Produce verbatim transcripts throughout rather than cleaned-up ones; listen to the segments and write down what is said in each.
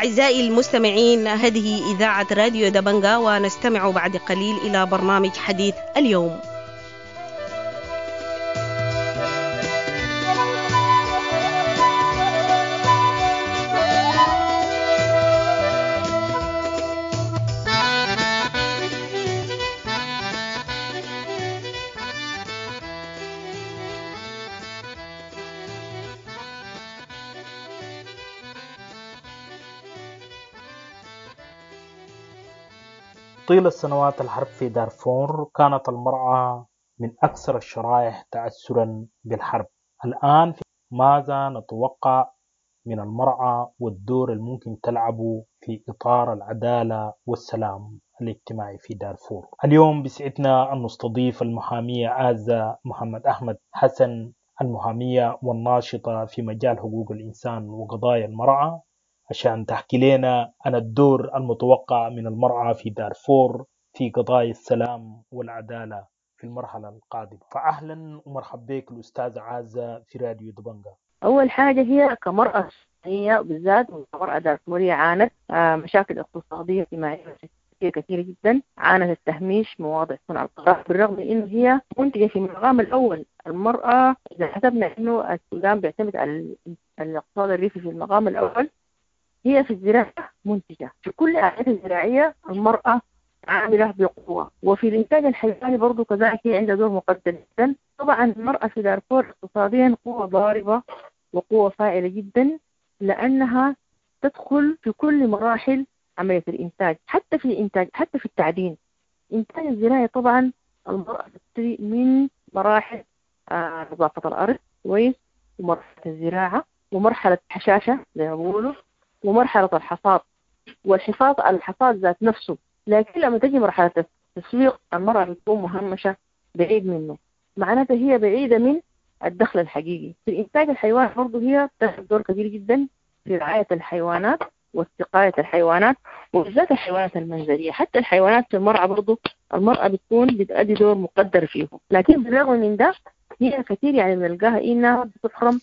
أعزائي المستمعين، هذه إذاعة راديو دبنجا، ونستمع بعد قليل إلى برنامج حديث اليوم. طيلة سنوات الحرب في دارفور كانت المرأة من أكثر الشرائح تأثرا بالحرب. الآن ماذا نتوقع من المرأة والدور الممكن تلعبه في إطار العدالة والسلام الاجتماعي في دارفور؟ اليوم بسعدنا أن نستضيف المحامية عازة محمد أحمد حسن، المحامية والناشطة في مجال حقوق الإنسان وقضايا المرأة، عشان تحكي لنا عن الدور المتوقع من المرأة في دارفور في قضايا السلام والعدالة في المرحلة القادمة. فأهلا ومرحبا بك الأستاذة عازة في راديو دبنجا. أول حاجة هي كمرأة سودانية بالذات وكمرأة دارفورية عانت مشاكل اقتصادية اجتماعية كثيرة جدا، عانت التهميش، مواضع صنع القرار، بالرغم من إنه هي منتجة في المقام الأول. المرأة إذا حسبنا إنه السودان بيعتمد على الاقتصاد الريفي في المقام الأول، هي في الزراعة منتجة، في كل الأعمال الزراعية المرأة عاملة بقوة، وفي الإنتاج الحيواني برضو كذلك هي عندها دور مقدر جدا. طبعا المرأة في دارفور اقتصاديا قوة ضاربة وقوة فاعلة جدا، لأنها تدخل في كل مراحل عملية الإنتاج، حتى في الإنتاج، حتى في التعدين. إنتاج الزراعي طبعا المرأة تبتدي من مراحل آه نظافة الأرض كويس، ومرحلة الزراعة، ومرحلة الحشاشة زي ما بيقولوا، ومرحلة الحصاد، والحفاظ على الحصاد ذات نفسه. لكن لما تجي مرحلة التسويق المرأة بتكون مهمشة بعيد منه، معناتها هي بعيدة من الدخل الحقيقي. في الإنتاج الحيواني برضه هي تلعب دور كبير جدا في رعاية الحيوانات واستقاية الحيوانات، وبالذات الحيوانات المنزلية. حتى الحيوانات في المرأة برضه المرأة بتكون بتأدي دور مقدر فيهم. لكن بالرغم من ده هي كثير يعني بنلقاها إنها بتحرم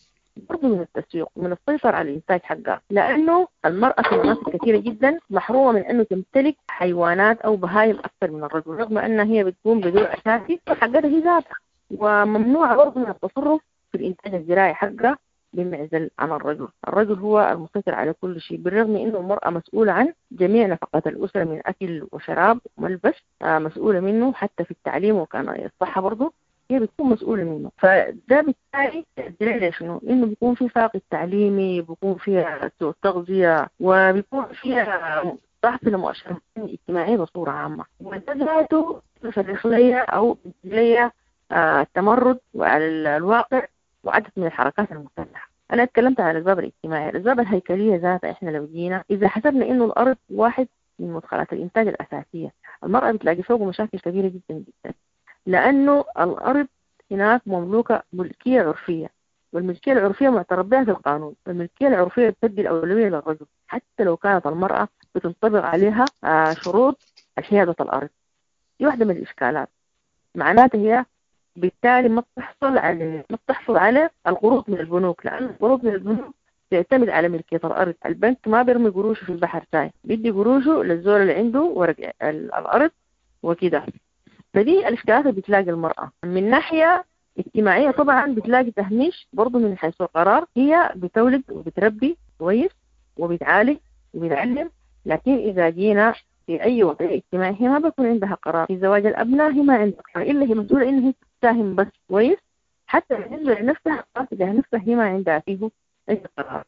برضه من التسويق ومن السيطرة على الإنتاج حقها، لأنه المرأة في مناطق كثيرة جدا محرومة من أنه تمتلك حيوانات أو بهايم أكثر من الرجل، رغم أنها هي بتقوم بدور أساسي حقتها هي ذاتها، وممنوعة برضه من التصرف في الإنتاج الزراعي حقها بمعزل عن الرجل. الرجل هو المسيطر على كل شيء، بالرغم أنه المرأة مسؤولة عن جميع نفقات الأسرة من أكل وشراب وملبس، مسؤولة منه حتى في التعليم وكان الصحة برضه هي بتكون مسؤولة منه. فده بالتالي تأدي شنو؟ إنه بيكون في فاقد تعليمي، بيكون فيها سوء تغذية، وبيكون فيها ضعف لمؤشرات اجتماعية بصورة عامة، وده ذاته يفرخ لي أو لي التمرد وعلى الواقع وعدد من الحركات المسلحة. أنا اتكلمت عن الأسباب الاجتماعية، الأسباب الهيكلية ذاتها إحنا لو جينا إذا حسبنا إنه الأرض واحد من مدخلات الإنتاج الأساسية، المرأة بتلاقي فوقه مشاكل كبيرة جدا جدا، لأنه الأرض هناك مملوكة ملكية عرفية، والملكية العرفية معترف بها في القانون، والملكية العرفية بتدي الأولوية للرجل حتى لو كانت المرأة بتنطبق عليها شروط حيادة الأرض. دي واحدة من الإشكالات، معناتها هي بالتالي ما بتحصل على ما بتحصل على القروض من البنوك، لأن القروض من البنوك تعتمد على ملكية الأرض. البنك ما بيرمي قروشه في البحر تاي، بيدي قروشه للزول اللي عنده ورق الأرض وكده. فدي الإشكالات اللي بتلاقي المرأة. من ناحية اجتماعية طبعا بتلاقي تهميش برضو من حيث القرار، هي بتولد وبتربي كويس وبتعالج وبتعلم، لكن إذا جينا في أي وضعية اجتماعية هي ما بيكون عندها قرار. في زواج الأبناء هي ما عندها قرار، إلا هي مسؤولة إنها تساهم بس كويس، حتى بالنسبة لنفسها قرار تجاه نفسها هي ما عندها فيه أي قرار،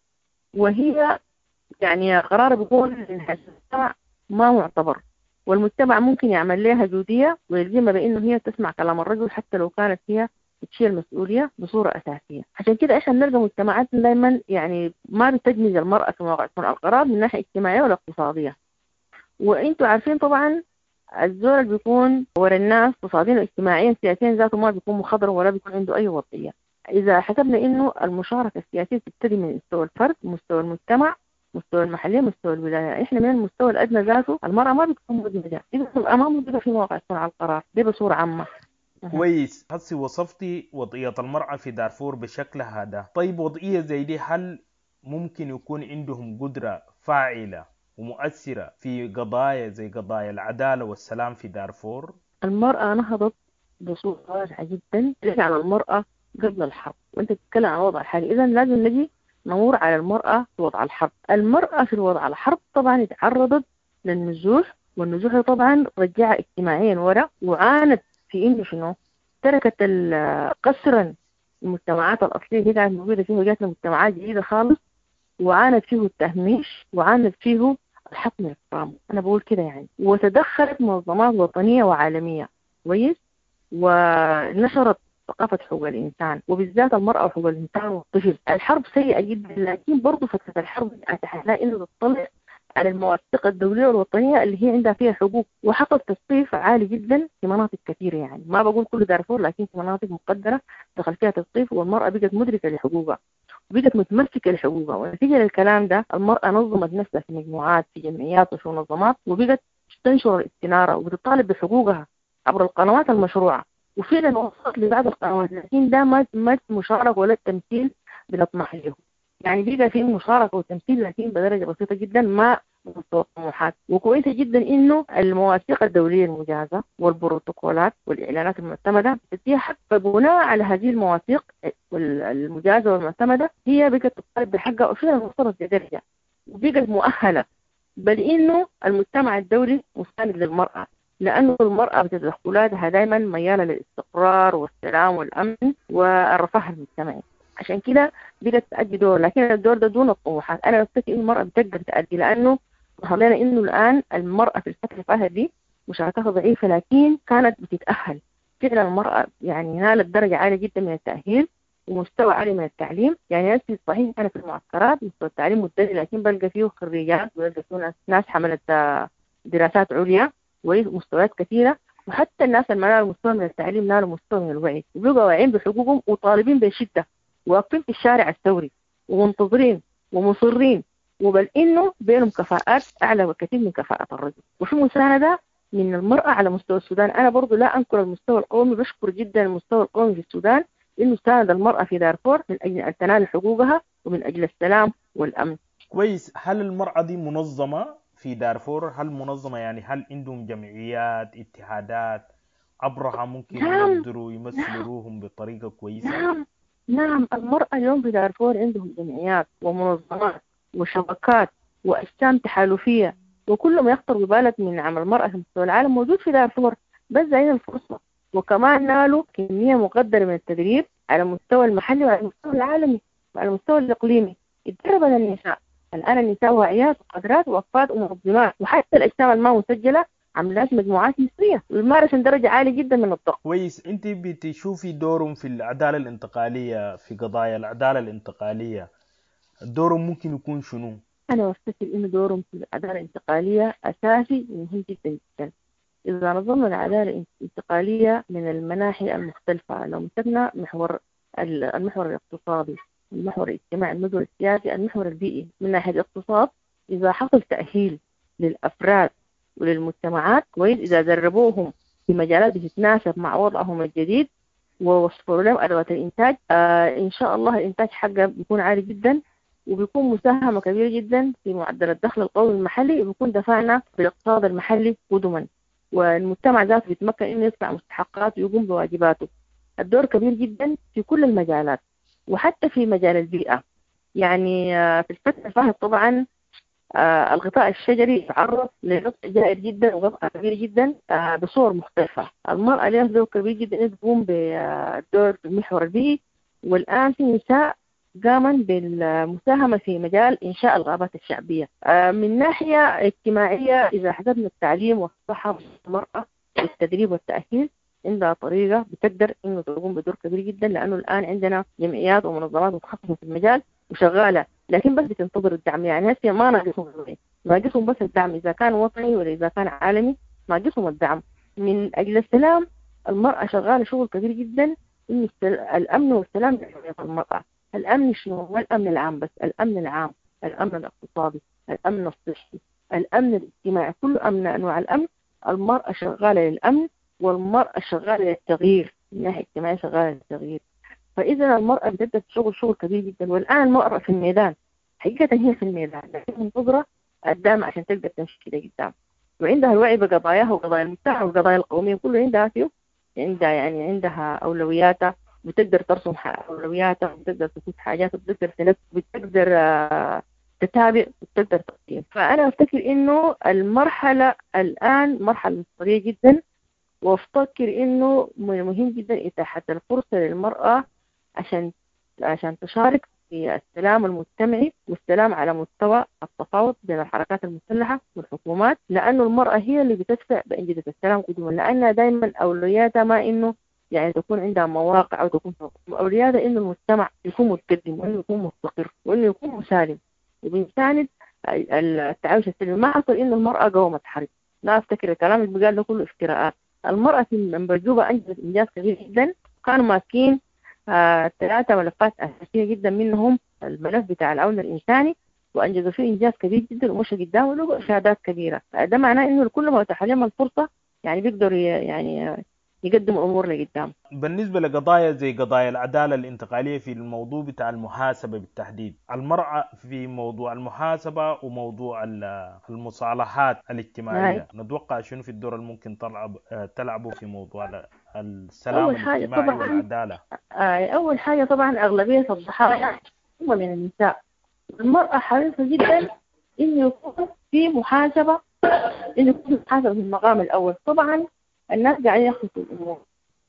وهي يعني قرار بيكون من حيث المجتمع ما معتبر، والمجتمع ممكن يعمل لها جودية ويلزمها بأنه هي تسمع كلام الرجل حتى لو كانت هي بتشيل المسؤولية بصورة أساسية. عشان كده إحنا بنلقى مجتمعاتنا دايما يعني ما بتجمز المرأة في مواقع صنع القرار من ناحية اجتماعية ولا اقتصادية. وإنتوا عارفين طبعا الزول اللي بيكون ورا الناس اقتصاديا واجتماعيا سياسيا ذاته ما بيكون مخضر ولا بيكون عنده أي وضعية. إذا حسبنا إنه المشاركة السياسية تبتدي من مستوى الفرد، مستوى المجتمع، مستوى المحلية، مستوى الولاية، إحنا من المستوى الأدنى ذاته المرأة ما بتكون مدمجة، إذا المرأة ما مدمجة في مواقع صنع القرار دي بصورة عامة. كويس، هسي وصفتي وضعية المرأة في دارفور بشكل هذا. طيب وضعية زي دي هل ممكن يكون عندهم قدرة فاعلة ومؤثرة في قضايا زي قضايا العدالة والسلام في دارفور؟ المرأة نهضت بصورة واسعة جدا على المرأة قبل الحرب، وانت تتكلم عن وضع الحالي، إذا لازم نجي نمر على المرأة في وضع الحرب. المرأة في الوضع الحرب طبعا تعرضت للنزوح، والنزوح طبعا رجعها اجتماعيا ورا، وعانت في انه شنو تركت قسرا المجتمعات الأصلية اللي كانت موجودة فيه، وجات مجتمعات جديدة خالص، وعانت فيه التهميش، وعانت فيه الحق من الكرامة، أنا بقول كده يعني. وتدخلت منظمات وطنية وعالمية كويس، ونشرت ثقافة حقوق الإنسان، وبالذات المرأة وحقوق الإنسان والطفل. الحرب سيئة جدا، لكن برضو فترة الحرب أتاحت لها إنه تطلع على المواثيق الدولية والوطنية اللي هي عندها فيها حقوق، وحصل تثقيف عالي جدا في مناطق كثيرة، يعني ما بقول كل دارفور، لكن في مناطق مقدرة دخل فيها تثقيف، والمرأة بقت مدركة لحقوقها وبقت متمسكة لحقوقها. ونتيجة للكلام ده المرأة نظمت نفسها في مجموعات، في جمعيات، وفي منظمات، وبقت تنشر الاستنارة وبتطالب بحقوقها عبر القنوات المشروعة، وفعلا وصلت لبعض القنوات، لكن ده ما ما مشاركة ولا التمثيل بنطمح له. يعني بقى في مشاركة وتمثيل لكن بدرجة بسيطة جدا، ما مستوى الطموحات. وكويسة جدا إنه المواثيق الدولية المجازة والبروتوكولات والإعلانات المعتمدة بتديها حق، فبناء على هذه المواثيق المجازة والمعتمدة هي بقت تطالب بحقها، وفعلا وصلت لدرجة وبقت مؤهلة. بل إنه المجتمع الدولي مساند للمرأة، لأنه المرأة بتدخلاتها دائما ميالة للاستقرار والسلام والأمن والرفاه المجتمعي، عشان كده بقت تأدي دور، لكن الدور ده دون الطموحات. أنا بفتكر إن المرأة بتقدر تأدي، لأنه ظهر لنا إنه الآن المرأة في الفترة اللي دي مشاركتها ضعيفة، لكن كانت بتتأهل فعلا. المرأة يعني نالت درجة عالية جدا من التأهيل ومستوى عالي من التعليم. يعني نفسي صحيح أنا في المعسكرات مستوى التعليم متدني، لكن بلقى فيه خريجات، وبلقى فيه ناس حملت دراسات عليا ومستويات كثيرة، وحتى الناس اللي ما نالوا مستوى من التعليم نالوا مستوى من الوعي، وبقوا واعيين بحقوقهم وطالبين بشدة، واقفين في الشارع الثوري ومنتظرين ومصرين، وبل إنه بينهم كفاءات أعلى بكثير من كفاءة الرجل. وفي مساندة من المرأة على مستوى السودان. أنا برضو لا أنكر المستوى القومي، بشكر جدا المستوى القومي في السودان إنه ساند المرأة في دارفور من أجل أن تنال حقوقها ومن أجل السلام والأمن. كويس. هل المرأة دي منظمة في دارفور؟ هل منظمة يعني هل عندهم جمعيات، اتحادات عبرها ممكن نعم. يقدروا يمثلوا روحهم بطريقة كويسة؟ نعم نعم، المرأة اليوم في دارفور عندهم جمعيات ومنظمات وشبكات وأجسام تحالفية، وكل ما يخطر ببالك من عمل المرأة في مستوى العالم موجود في دارفور، بس زين الفرصة. وكمان نالوا كمية مقدرة من التدريب على المستوى المحلي وعلى المستوى العالمي وعلى المستوى الإقليمي. اتدربت النساء، الآن النساء واعيات وقادرات ووقفات ومنظمات، وحتى الأجسام الما مسجلة عملات مجموعات مصرية ويمارس درجة عالية جدا من الضغط. كويس. انت بتشوفي دورهم في العدالة الانتقالية، في قضايا العدالة الانتقالية، دورهم ممكن يكون شنو؟ أنا بفتكر إنه دورهم في العدالة الانتقالية أساسي ومهم جدا جدا. إذا نظرنا العدالة الانتقالية من المناحي المختلفة، لو مسكنا محور المحور الاقتصادي، المحور الاجتماعي، المحور السياسي، المحور البيئي. من ناحية الاقتصاد، إذا حصل تأهيل للأفراد وللمجتمعات كويس، إذا دربوهم في مجالات بتتناسب مع وضعهم الجديد ووفروا لهم أدوات الإنتاج، آه إن شاء الله الإنتاج حقه بيكون عالي جدا، وبيكون مساهمة كبيرة جدا في معدل الدخل القومي المحلي، وبيكون دفعنا في الاقتصاد المحلي قدما، والمجتمع ذاته بيتمكن إنه يدفع مستحقاته ويقوم بواجباته. الدور كبير جدا في كل المجالات، وحتى في مجال البيئة. يعني في الفترة الفاتت طبعا الغطاء الشجري تعرض لقطع جائر جدا وقطع كبير جدا بصور مختلفة. المرأة لها دور كبير جدا تقوم بالدور في المحور البيئي، والآن في نساء قاما بالمساهمة في مجال إنشاء الغابات الشعبية. من ناحية اجتماعية، إذا حسبنا التعليم والصحة والمرأة والتدريب والتأهيل، عندها طريقة بتقدر إنه تقوم بدور كبير جدا، لأنه الآن عندنا جمعيات ومنظمات متخصصة في المجال وشغالة، لكن بس بتنتظر الدعم. يعني هسه ما ناقصهم، ناقصهم بس الدعم، إذا كان وطني ولا إذا كان عالمي ناقصهم الدعم. من أجل السلام المرأة شغالة شغل كبير جدا، إنه الأمن والسلام المرأة. الأمن شنو؟ هو الأمن العام بس، الأمن العام، الأمن الاقتصادي، الأمن الصحي، الأمن الاجتماعي، كل أمن أنواع الأمن. المرأة شغالة للأمن، والمرأة شغالة للتغيير، من ناحية اجتماعية شغالة للتغيير. فإذا المرأة بتبدأ شغل شغل كبير جدا، والآن المرأة في الميدان، حقيقة هي في الميدان، لكن منتظرة الدعم عشان تقدر تمشي لقدام، وعندها الوعي بقضاياها وقضايا المجتمع والقضايا القومية كله عندها فيه، عندها يعني عندها أولوياتها، بتقدر ترسم أولوياتها، بتقدر تشوف حاجات، بتقدر تنفذ، بتقدر تتابع، بتقدر تقيم. فأنا أفتكر إنه المرحلة الآن مرحلة مصيرية جدا، وأفتكر إنه مهم جدا إتاحة الفرصة للمرأة عشان عشان تشارك في السلام المجتمعي والسلام على مستوى التفاوض بين الحركات المسلحة والحكومات، لأنه المرأة هي اللي بتدفع بأنجزة السلام قدما، لأنها دائما أولوياتها ما إنه يعني تكون عندها مواقع أو تكون أولوياتها إنه المجتمع يكون متقدم وإنه يكون مستقر وإنه يكون مسالم وبنساند التعايش السلمي. ما حصل إنه المرأة قومت حرب، لا أفتكر الكلام اللي بقال ده كله افتراءات. المرأة في منبر جوبا أنجزت إنجاز كبير جدا، كانوا ماسكين آه ثلاثة ملفات أساسية جدا، منهم الملف بتاع العون الإنساني، وأنجزوا فيه إنجاز كبير جدا ومشى قدام وله إشادات كبيرة. ده معناه إنه كل ما أتاح لهم الفرصة يعني بيقدروا يعني يقدموا أمور لقدام. بالنسبة لقضايا زي قضايا العدالة الانتقالية في الموضوع بتاع المحاسبة بالتحديد، المرأة في موضوع المحاسبة وموضوع المصالحات الاجتماعية، نتوقع شنو في الدور اللي ممكن تلعب تلعبه في موضوع السلام الاجتماعي والعدالة؟ أول حاجة طبعا أغلبية الضحايا هم من النساء. المرأة حريصة جدا إنه يكون في محاسبة، إنه يكون في محاسبة في المقام الأول. طبعا الناس قاعدين يخلطوا الأمور،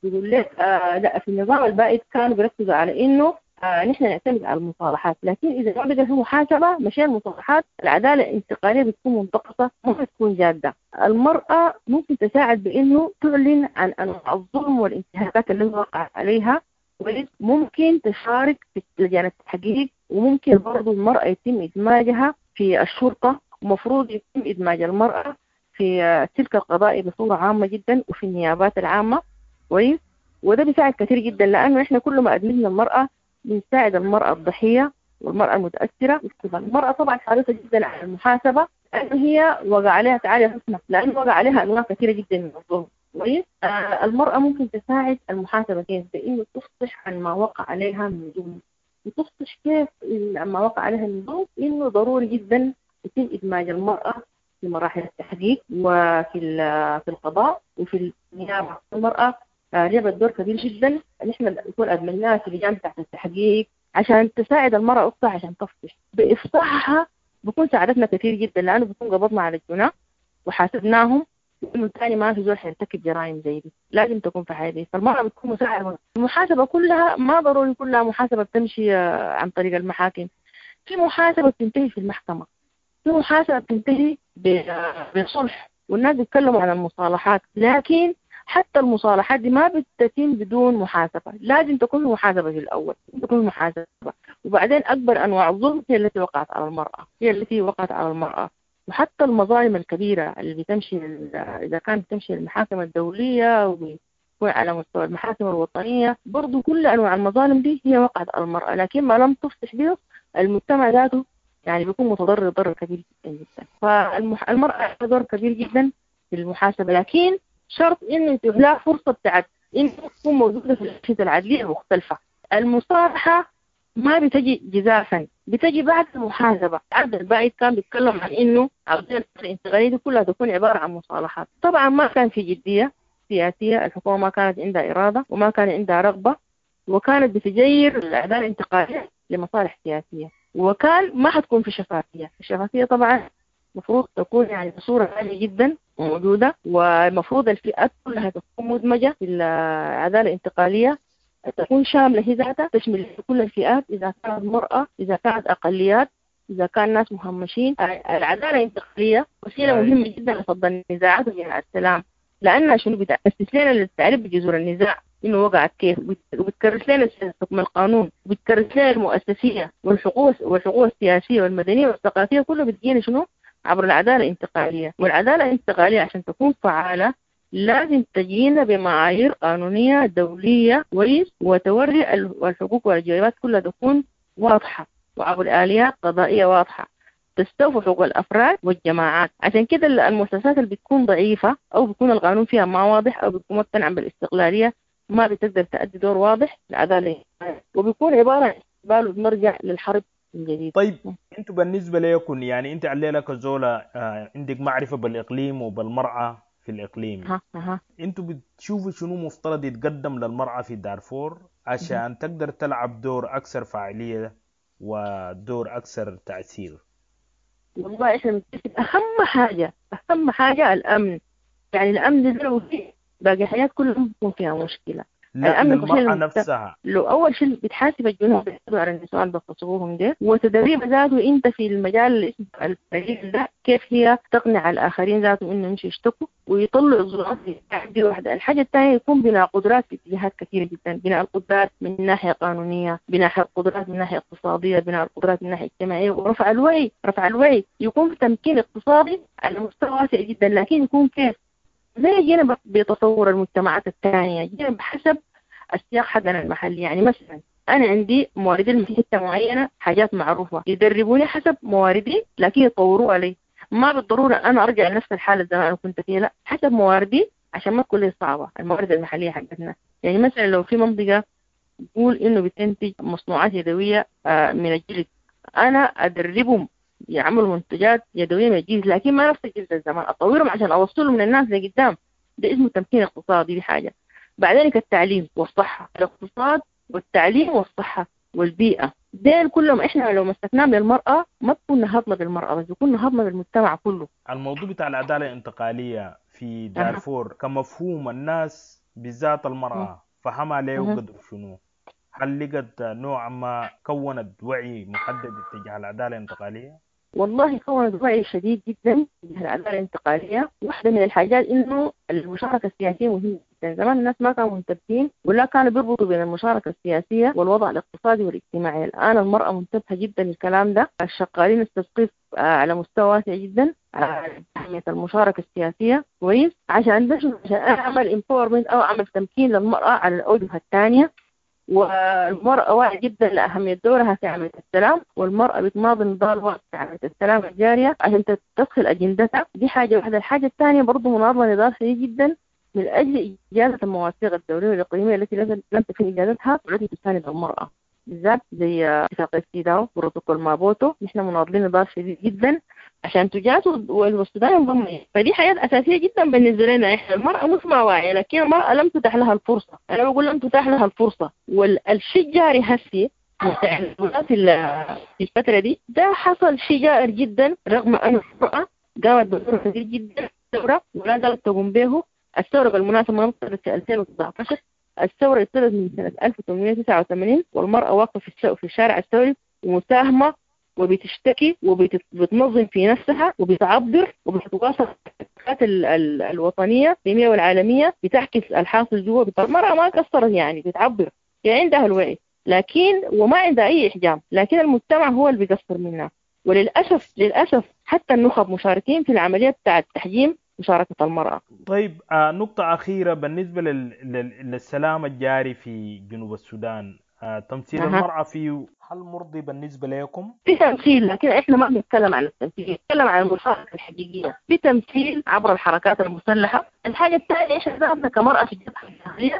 بيقول لك آه لا، في النظام البائد كانوا بيركزوا على إنه آه نحن نعتمد على المصالحات، لكن إذا ما بقى في محاسبة مشان المصالحات العدالة الانتقالية بتكون منتقصة، ما بتكون جادة. المرأة ممكن تساعد بإنه تعلن عن أنواع الظلم والانتهاكات اللي وقعت عليها، ممكن تشارك في لجان التحقيق، وممكن برضو المرأة يتم إدماجها في الشرطة، ومفروض يتم إدماج المرأة في السلك القضائي بصورة عامة جدا وفي النيابات العامة. كويس، وده بيساعد كثير جدا، لأنه إحنا كل ما أدمجنا المرأة بنساعد المرأة الضحية والمرأة المتأثرة. المرأة طبعا حريصة جدا على المحاسبة، لأنه هي وقع عليها تعالي حسنة، لأنه وقع عليها أنواع كثيرة جدا من الظلم. كويس، آه المرأة ممكن تساعد المحاسبة كيف؟ بإنه تفصح عن ما وقع عليها من ظلم، وتفصح كيف ما وقع عليها من ظلم، إنه ضروري جدا يتم إدماج المرأة في مراحل التحقيق وفي في القضاء وفي النيابة. المرأة لعبت دور كبير جدا، نحن نكون أدمجناها في لجان تحت التحقيق عشان تساعد المرأة أختها عشان تفصح. بإفصاحها بكون ساعدتنا كثير جدا، لأنه بكون قبضنا على الجناة وحاسبناهم، وإنه ثاني ما في زول حيرتكب جرائم زي دي، لازم تكون في حياتي. فالمرأة بتكون مساعدة. المحاسبة كلها ما ضروري كلها محاسبة بتمشي عن طريق المحاكم، في محاسبة بتنتهي في المحكمة، في محاسبة بتنتهي بصلح، والناس بيتكلموا عن المصالحات، لكن حتى المصالحات دي ما بتتم بدون محاسبة، لازم تكون محاسبة في الأول، تكون محاسبة. وبعدين أكبر أنواع الظلم هي التي وقعت على المرأة، هي التي وقعت على المرأة. وحتى المظالم الكبيرة اللي بتمشي إذا كانت بتمشي للمحاكم الدولية وبيكون على مستوى المحاكم الوطنية، برضو كل أنواع المظالم دي هي وقعت على المرأة، لكن ما لم تفصح به المجتمع ذاته يعني بيكون متضرر ضرر كبير جدا جدا. فالمرأة دور كبير جدا في المحاسبة، لكن شرط إنه يتيح لها فرصة بتاعت إنه تكون موجودة في الأجهزة العدلية المختلفة. المصالحة ما بتجي جزافا، بتجي بعد المحاسبة. العبد البائد كان بيتكلم عن إنه عاوزين الانتقالية دي كلها تكون عبارة عن مصالحات. طبعا ما كان في جدية سياسية، الحكومة ما كانت عندها إرادة وما كان عندها رغبة، وكانت بتجير الأعداء الانتقالية لمصالح سياسية، وكان ما حتكون في شفافية. الشفافية طبعا المفروض تكون يعني بصورة عالية جدا موجودة، والمفروض الفئات كلها تكون مدمجة في العدالة الانتقالية، تكون شاملة هي ذاتها، تشمل كل الفئات، إذا كانت مرأة، إذا كانت أقليات، إذا كان ناس مهمشين. العدالة الانتقالية وسيلة مهمة جدا لفض النزاعات وجناء السلام، لأنها شنو بتأسس لنا للتعريف بجذور النزاع إنه وقعت كيف، وبتكرس لنا حكم القانون، وبتكرس لنا المؤسسية والحقوق والحقوق السياسية والمدنية والثقافية، كله بتجينا شنو عبر العدالة الانتقالية. والعدالة الانتقالية عشان تكون فعالة لازم تجينا بمعايير قانونية دولية كويس، وتوري الحقوق والواجبات كلها تكون واضحة، وعبر آليات قضائية واضحة تستوفي حقوق الأفراد والجماعات. عشان كده المؤسسات اللي بتكون ضعيفة أو بيكون القانون فيها ما واضح أو بتكون مقتنعة بالاستقلالية ما بتقدر تأدي دور واضح للعدالة، وبيكون عبارة عن استقبال وبنرجع للحرب من جديد. طيب انتوا بالنسبة لكم يعني انت عليلة كزولة عندك معرفة بالإقليم وبالمرأة في الإقليم، ها ها. انتوا بتشوفوا شنو مفترض يتقدم للمرأة في دارفور عشان تقدر تلعب دور أكثر فاعلية ودور أكثر تأثير؟ والله احنا بنتفق أهم حاجة أهم حاجة الأمن، يعني الأمن ده لو فيه باقي الحياة كلها بيكون فيها مشكلة. لا للمرأة نفسها لو أول شيء بتحاسب الجنود بيحاسبوا على النسوان بيغتصبوهم ده، وتدريب ذاته أنت في المجال اللي اسمه الفريق ده كيف هي تقنع الآخرين ذاته إنه يمشوا يشتكوا ويطلعوا الظروف دي واحدة. الحاجة الثانية يكون بناء قدرات في اتجاهات كثيرة جدا، بناء القدرات من ناحية قانونية، بناء القدرات من ناحية اقتصادية، بناء القدرات من ناحية اجتماعية، ورفع الوعي، رفع الوعي يكون في تمكين اقتصادي على مستوى واسع جدا، لكن يكون كيف زي جينا بتصور المجتمعات الثانية، جينا بحسب السياق حقنا المحلي. يعني مثلا أنا عندي مواردي في حتة معينة حاجات معروفة يدربوني حسب مواردي لكن يطوروها لي، ما بالضرورة أنا أرجع لنفس الحالة زي ما أنا كنت فيها، لا حسب مواردي عشان ما تكون لي صعبة الموارد المحلية حقتنا. يعني مثلا لو في منطقة تقول إنه بتنتج مصنوعات يدوية من الجلد، أنا أدربهم يعملوا منتجات يدوية من الجلد لكن ما نفس الجلد الزمان، أطورهم عشان أوصلهم للناس لقدام. ده اسمه تمكين اقتصادي. دي حاجة. بعدين التعليم والصحة، الاقتصاد والتعليم والصحة والبيئة، ديل كلهم احنا لو مسكناهم للمرأة ما تكون نهضنا بالمرأة بس، يكون نهضنا بالمجتمع كله. الموضوع بتاع العدالة الانتقالية في دارفور كمفهوم الناس بالذات المرأة فهمها ليه وقدر شنو؟ هل لقت نوع ما كونت وعي محدد اتجاه العدالة الانتقالية؟ والله كونت وعي شديد جدا تجاه العدالة الانتقالية. واحدة من الحاجات إنه المشاركة السياسية مهمة جدا. زمان الناس ما كانوا منتبهين ولا كانوا بيربطوا بين المشاركة السياسية والوضع الاقتصادي والاجتماعي. الآن المرأة منتبهة جدا للكلام ده، الشغالين التثقيف على مستوى واسع جدا على أهمية المشاركة السياسية كويس، عشان ده عشان أعمل empowerment أو أعمل تمكين للمرأة على الأوجه الثانية. والمرأة واعية جدا لأهمية دورها في عملية السلام، والمرأة بتماضي نضال واعي في عملية السلام الجارية عشان تدخل أجندتها. دي حاجة واحدة. الحاجة الثانية برضو مناضلة نضال شديد جدا من أجل إجازة المواثيق الدولية والإقليمية التي لم تتم إجازتها والتي تساند المرأة، بالذات زي اتفاقية سيداو وبروتوكول مابوتو. نحن مناضلين نضال شديد جدا عشان تجاز والسودان ينضم. فدي حاجات أساسية جدا بالنسبة لنا إحنا. المرأة مش ما واعية، لكن المرأة لم تتاح لها الفرصة. أنا بقول لم تتاح لها الفرصة، والشيء الجاري هسي في الفترة دي ده حصل شيء جائر جدا، رغم أن المرأة قامت بدور كبير جدا الثورة ولا زالت تقوم به. الثورة بالمناسبة ما ابتدت في ألفين وتسعة عشر، الثورة ابتدت من سنة ألف وثمانمائة وتسعة وثمانين، والمرأة واقفة في في الشارع الثوري ومساهمة وبتشتكي وبتنظم في نفسها وبتعبر وبتتواصل ال ال الوطنية الإقليمية والعالمية، بتعكس الحاصل جوا. المرأة ما قصرت يعني، بتعبر، يعني عندها الوعي لكن وما عندها أي إحجام، لكن المجتمع هو اللي بيقصر منها. وللأسف للأسف حتى النخب مشاركين في العملية بتاعة تحجيم مشاركة المرأة. طيب آه نقطة أخيرة بالنسبة لل... لل... للسلام الجاري في جنوب السودان، آه تمثيل أه. المرأة فيه هل مرضي بالنسبة لكم؟ في تمثيل، لكن إحنا ما بنتكلم عن التمثيل، بنتكلم عن المشاركة الحقيقية. في تمثيل عبر الحركات المسلحة. الحاجة الثانية إحنا ذاتنا كمرأة في الجبهة الداخلية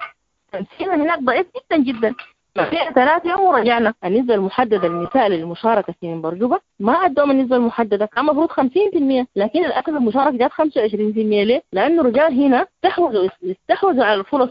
تمثيلنا هناك ضعيف جدا جدا. في ثلاث يوم ورجعنا النسبة المحددة للنساء للمشاركة في منبر جوبا ما عندهم النسبة المحددة، كان المفروض خمسين بالمية، لكن للأسف المشاركة جات خمسة وعشرين بالمية. ليه؟ لأنه الرجال هنا استحوذوا استحوذوا على الفرص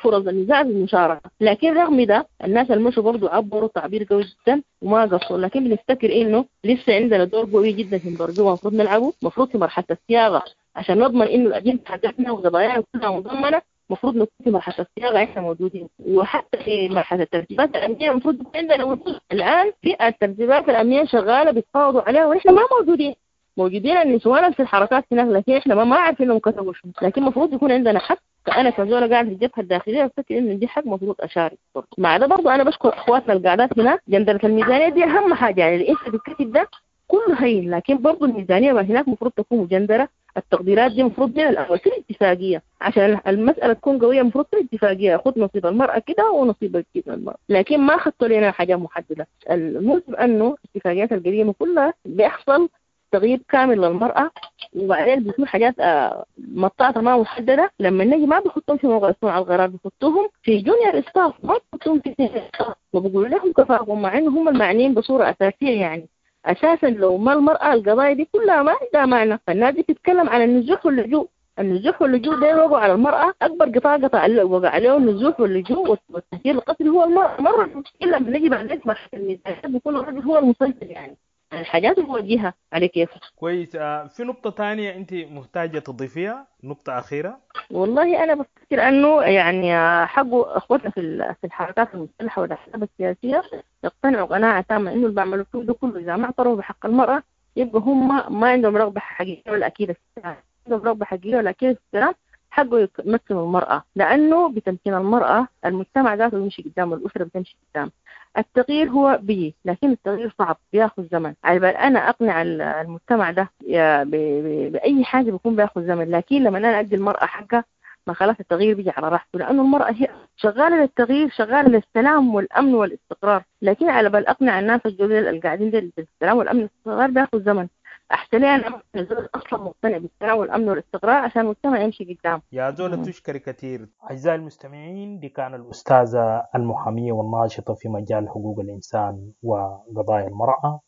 فرص النساء في المشاركة. لكن رغم ده الناس المشوا برضو عبروا تعبير قوي جدا وما قصروا. لكن بنفتكر إنه لسه عندنا دور قوي جدا في منبر جوبا المفروض نلعبه، المفروض في مرحلة الصياغة عشان نضمن إنه الأجندة حقتنا وقضايانا كلها مضمنة. المفروض نكون في مرحلة الصياغة احنا موجودين، وحتى في مرحلة الترتيبات الأمنية المفروض يكون عندنا وجود. الآن في الترتيبات الأمنية شغالة بيتفاوضوا عليها ونحن ما موجودين، موجودين النسوان في الحركات هناك، لكن احنا ما ما عارفين انهم كتبوا شنو. لكن المفروض يكون عندنا حق. أنا كزولة قاعدة في الجبهة الداخلية أفتكر إنه دي حق المفروض أشارك برضه. مع ده برضه أنا بشكر إخواتنا القاعدات هناك. جندرة الميزانية دي أهم حاجة، يعني اللي أنت بتكتب ده كله هين، لكن برضه الميزانية ما هناك المفروض تكون مجندرة. التقديرات دي المفروض من الأول في الاتفاقية عشان المسألة تكون قوية، المفروض في الاتفاقية خد نصيب المرأة كده ونصيب كده المرأة، لكن ما خدتوا لنا حاجة محددة. المهم أنه الاتفاقيات القديمة كلها بيحصل تغييب كامل للمرأة، وبعدين بيكون حاجات آه، مطاطة ما محددة. لما نجي ما بيحطوهم في موقع صنع القرار، بيحطوهم في junior staff، ما بيحطوهم في senior staff، وبيقولوا لهم كفاكم، مع انه هم المعنيين بصورة أساسية. يعني أساسا لو ما المرأة القضايا دي كلها ما عندها معنى. فالناس دي بتتكلم عن النزوح واللجوء، النزوح واللجوء ده وقع على المرأة أكبر قطاع قطع وقع عليه النزوح واللجوء والتهجير القسري هو المرأة. مرة إلا لما نجي بعدين في مرحلة الميزانية بيكون الرجل هو المسيطر، يعني الحاجات الموجهة على كيف. كويس. آه، في نقطة تانية أنت محتاجة تضيفيها، نقطة أخيرة؟ والله أنا بفتكر أنه يعني حقه أخوتنا في ال- في الحركات المسلحة والأحزاب السياسية يقتنعوا قناعة تامة إنه اللي بيعملوا فيه ده كله إذا ما اعترفوا بحق المرأة يبقى هم ما عندهم رغبة حقيقية ولا أكيدة في السلام، عندهم رغبة حقيقية ولا أكيدة في السلام. حقه يمثل المرأة، لأنه بتمكين المرأة المجتمع ذاته بيمشي قدام، والأسرة بتمشي قدام. التغيير هو بيجي، لكن التغيير صعب بياخذ زمن. على بال أنا أقنع ال- المجتمع ده يا ب- ب- بأي حاجة بيكون بياخذ زمن، لكن لما أنا أدي المرأة حقها ما خلاص التغيير بيجي على راحته، لأنه المرأة هي شغالة للتغيير، شغالة للسلام والأمن والاستقرار. لكن على بال أقنع الناس الجدد اللي قاعدين ديل بالسلام والأمن والاستقرار بياخذ زمن. أحسن لي أنا أقنع زول أصلا مقتنع بالسلام والأمن والاستقرار عشان المجتمع يمشي قدام. يا زولة مم. تشكري كثير. أعزائي المستمعين، دي كان الأستاذة المحامية والناشطة في مجال حقوق الإنسان وقضايا المرأة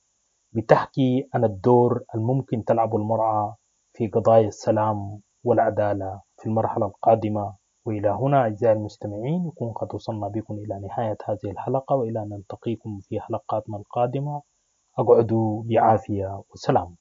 بتحكي عن الدور الممكن تلعبه المرأة في قضايا السلام والعدالة في المرحلة القادمة. وإلى هنا أعزائي المستمعين يكون قد وصلنا بكم إلى نهاية هذه الحلقة، وإلى أن نلتقيكم في حلقاتنا القادمة أقعدوا بعافية وسلام.